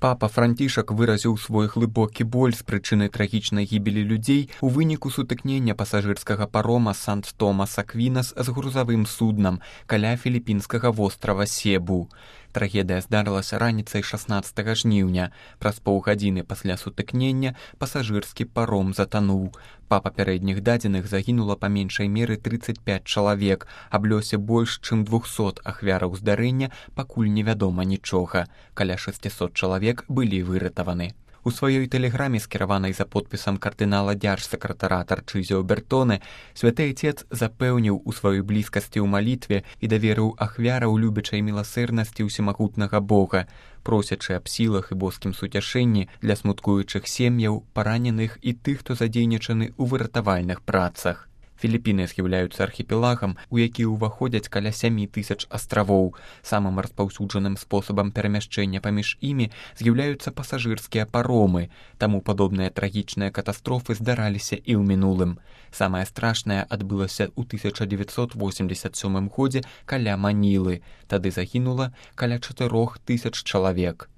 Папа Францішак выразіў свой глыбокі боль з прычыны трагічнай гібелі людзей у выніку сутыкнення пасажырскага парома Сант-Томас Аквінас з грузавым суднам каля філіппінскага вострава Себу. Трагедыя здарылася раніцай 16 жніўня. Праз паўгадзіны пасля сутыкнення пасажырскі паром затануў. Па папярэдніх дадзеных загінула па меншай меры 35 чалавек, аб лёсе больш чым 200 ахвяраў здарэння пакуль невядома нічога. Каля 600 чалавек былі выратаваны. У сваёй тэлеграме, скіраванай за подпісам кардынала дзяржсакратара Тарчызіо Бертоне, святы Отец запэўніў у сваёй блізкасці ў малітве і даверыў ахвяраў любячай міласэрнасці ўсемагутнага Бога, просячы аб сілах і боскім суцяшэнні для смуткуючых сем'яў, параненых і тых, хто задзейнічаны ў выратавальных працах. Філіппіны з'яўляюцца архіпелагам, у які ўваходзяць каля 7000 астравоў. Самым распаўсюджаным спосабам перамяшчэння паміж імі з'яўляюцца пасажырскія паромы, таму падобныя трагічныя катастрофы здараліся і ў мінулым. Самае страшнае адбылася ў 1987 годзе каля Манілы. Тады загінула каля 4000 чалавек.